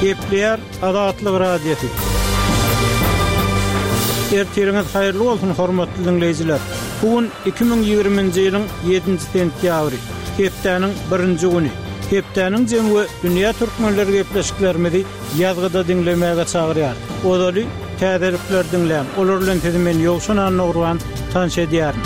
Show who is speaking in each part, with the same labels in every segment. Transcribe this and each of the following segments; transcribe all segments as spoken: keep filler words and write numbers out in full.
Speaker 1: Gepleýär Azatlyk Radiosy. Ertiriňiz haýyrly bolsun, hormatly diňleýjiler! Bu gün iki müň ýigriminji ýylyň ýedinji sentýabry, hepdäniň birinji güni. Hepdäniň jemi we dünýä türkmenleri gepleşiklerimizi ýazgyda diňlemäge çagyrýar. Ozaly täzelikleri diňläň, olar bilen sizi men Ýowşan Annagurban tanyş edýärin.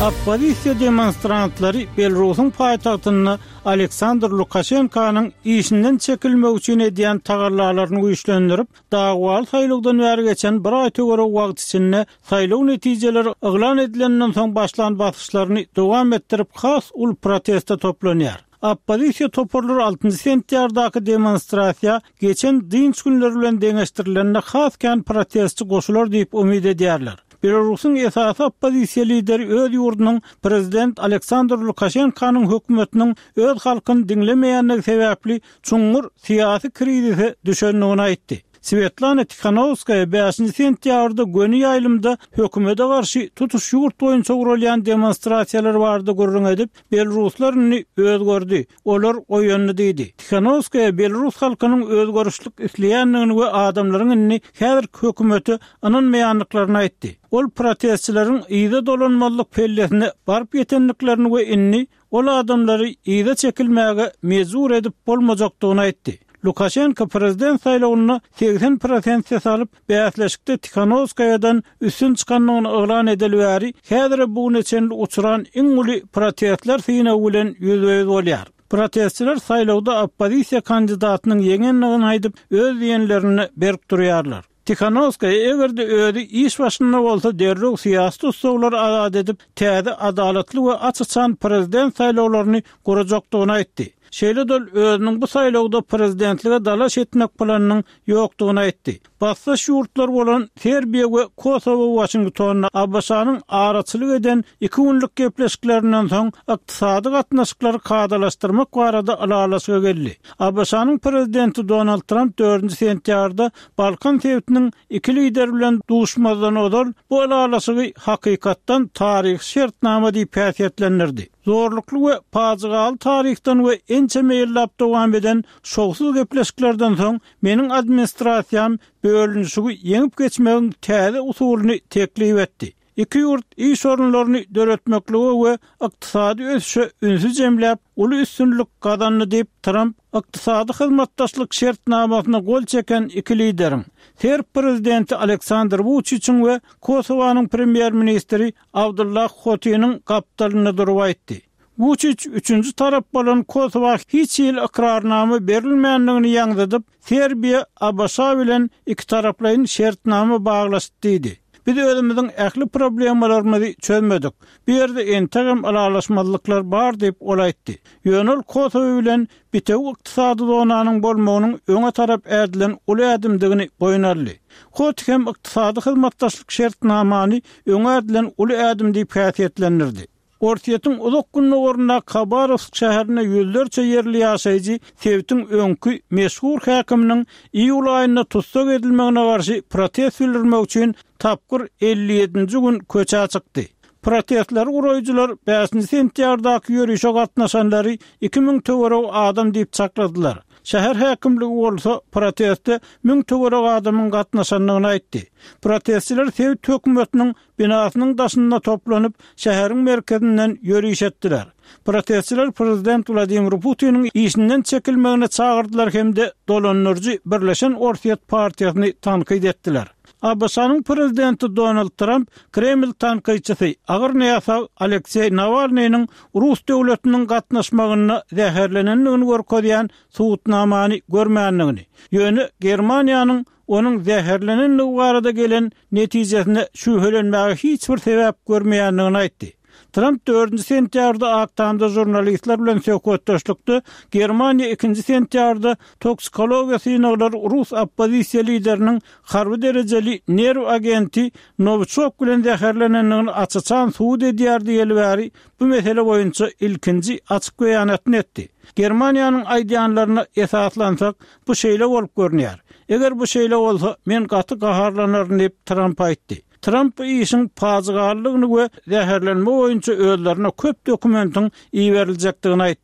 Speaker 1: Oppozisiýa demonstrantlary Belarusyň paýtagtynda Aleksandr Lukaşenkanyň işinden çekilmegi üçin edýän tagallalaryny güýçlendirip, dawaly saýlawdan bäri geçen bir aý töweregi wagt içinde saýlaw netijeleri yglan edilenden soň başlan basyşlaryny dowam etdirip has uly proteste toplanýar. Oppozisiýa toparlary altynjy sentýabrdaky demonstrasiýa geçen dynç günleri bilen deňeşdirilende has kän protestçi goşular diýip umyt edýärler. Belarusyň esasy oppozisiýa lideri öz ýurdunyň prezident Aleksandr Lukaşenkanyň hökümetiniň öz halkyny diňlemeýändigi sebäpli çuňňur syýasy krizise düşendigini aýtdy. Swetlana Tihanowskaýa bäşinji sentýabrda göni ýaýlymda hökümete garşy tutuş ýurt boýunça guralýan demonstrasiýalar barada gürrüň edip, Belaruslar indi özgerdi, olar oýandy diýdi. Tihanowskaýa belarus halkynyň özgerişlik isleýändigini we adamlaryň indi häzirki hökümete ynanmaýandyklaryny aýtdy. Ol protestçileriň yza dolanmazlyk pellesine baryp ýetendiklerini we indi ol adamlary yza çekilmäge mejbur edip bolmajakdygyny aýtdy. Lukaşenko prezident saýlawynda segsen prosent ses alyp, bäsleşikde Tihanowskaýadan üstün çykandygyny yglan edeli bäri, häzire bu güne çenli uçran iň uly protestler synagy bilen ýüzbe-ýüz bolýar. Protestçiler saýlawda oppozisiýa kandidatynyň ýeňendigini aýdyp, öz diýenlerinde berk durýarlar. Tihanowskaýa eger-de özi iş başynda bolsa derrew syýasy tussaglary azat edip, täze adalatly we aç-açan prezident saýlawlaryny gurajakdygyny aýtdy. Şeýle-de ol özüniň bu saýlawda prezidentlige dalaş etmek planynyň ýokdugyny aýtdy. Basdaş ýurtlar bolan Serbiýa we Kosowo Waşingtonda ABŞ-nyň araçylyk eden iki günlük gepleşiklerinden soň ykdysady gatnaşyklary kadalaşdyrmak barada ylalaşyga geldi. ABŞ-nyň prezidenti Donald Tramp dördünji sentýabrda Balkan sebitiniň iki lideri bilen duşmazdan ozal bu ylalaşygy hakykatdan taryhy şertnama diýip häsiýetlendirdi. Zorlukly we pajygaly taryhdan we ençeme ýyllap dowam eden şowsuz gepleşiklerden soň meniň administrasiýam bölünişigi ýeňip geçmegiň täze usulyny teklip etdi. Iki ýurt iş orunlaryny döretmeklige we ykdysady ösüşe ünsi jemläp, uly üstünlik gazandy diýip, Tramp ykdysady hyzmatdaşlyk şertnamasyna gol çeken iki lideriň, serb prezidenti Aleksandr Wuçiçiň we Kosowanyň premýer-ministri Abdullah Hotiniň gapdalynda durup aýtdy. Wuçiç üçünji tarap bolan Kosowa hiç hili ykrarnama berilmändigini ýaňzydyp, Serbiýa ABŞ bilen ikitaraplaýyn şertnama baglaşdy diýdi. Biz özümiziň ähli problemalarymyzy çözmedik. Bu ýerde entegem ylalaşmazlyklar bar diýip, ol aýtdy. Ýöne ol Kosowa bilen bitewi ykdysady zonanyň bolmagynyň öňe tarap ädilen uly ädimdigini boýun aldy. Hoti hem ykdysady hyzmatdaşlyk şertnamany öňe ädilen uly ädim diýip häsiýetlendirdi. Orsýetiň uzak gündogaryndaky Habarowsk şäherinde ýüzlerçe ýerli ýaşaýjy sebitiň öňki meşhur häkiminiň iýul aýynda tussag edilmegine garşy protest bildirmek üçin tapgyr elli ýedinji gün köçä çykdy. Protestleri guraýjylar bäşinji sentýabrdaky ýörişe gatnaşanlary iki müň töweregi adam diýip çakladylar. Şäher häkimligi bolsa proteste müň töweregi adamyň gatnaşandygyny aýtdy. Protestçiler sebit hökümetiniň binasynyň daşynda toplanyp, şäheriň merkezinden ýöriş etdiler. Protestçiler prezident Wladimir Putiniň işinden çekilmegine çagyrdylar hem-de dolandyryjy Birleşen Orsýet partiýasyny tankyt etdiler. ABŞ-nyň prezidenti Donald Tramp Kreml tankytçysy, agyr näsag Alekseý Nawalnynyň rus döwletiniň gatnaşmagynda zäherlenendigini görkezýän subutnamany görmändigini, ýöne Germaniýanyň onuň zäherlenendigi barada gelen netijesine şübhelenmäge hiç bir sebäp görmeýändigini aýtdy. Tramp dördünji sentýabrda Ak Tamda žurnalistler bilen söhbetdeşlikde Germaniýa ikinji sentýabrda toksikologiýa synaglary rus oppozisiýa lideriniň harby derejeli nerw agenti Nowiçok bilen zäherlenendigini aç-açan subut edýär diýeli bäri bu mesele boýunça ilkinji açyk beýanatyny etdi. Germaniýanyň aýdýanlaryna esaslansak, bu şeýle bolup görünýär. Eger bu şeýle bolsa, men gaty gaharlanaryn diýip, Tramp aýtdy. Tramp bu işiň pajygalydygyny we zäherlenme boýunça özlerine köp dokumentiň iberiljekdigini aýtdy.